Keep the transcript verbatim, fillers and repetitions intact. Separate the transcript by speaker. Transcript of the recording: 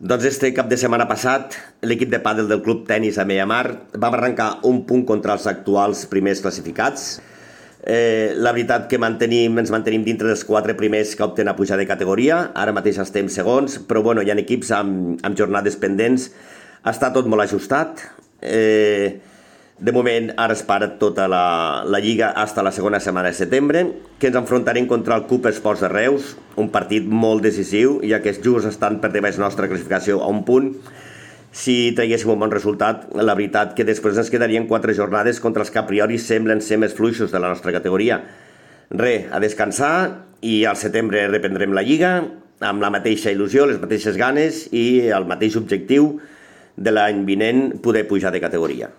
Speaker 1: Doncs este cap de setmana passat, l'equip de pàdel del Club Tenis Ameiamar va arrencar un punt contra els actuals primers classificats. Eh, la veritat que mantenim, ens mantenim dintre dels quatre primers que opten a pujar de categoria. Ara mateix estem segons, però bueno, hi ha equips amb, amb jornades pendents. Està tot molt ajustat. Eh, de moment, ara es para tota la, la lliga fins a la segona setmana de setembre, que ens enfrontarem contra el Cup Esports de Reus, un partit molt decisiu, ja que els just estan per davant nostra classificació a un punt. Si traguéssim un bon resultat, la veritat que després ens quedarien quatre jornades contra els que a priori semblen ser més fluixos de la nostra categoria. Re, a descansar, i al setembre reprendrem la lliga amb la mateixa il·lusió, les mateixes ganes i el mateix objectiu de l'any vinent poder pujar de categoria.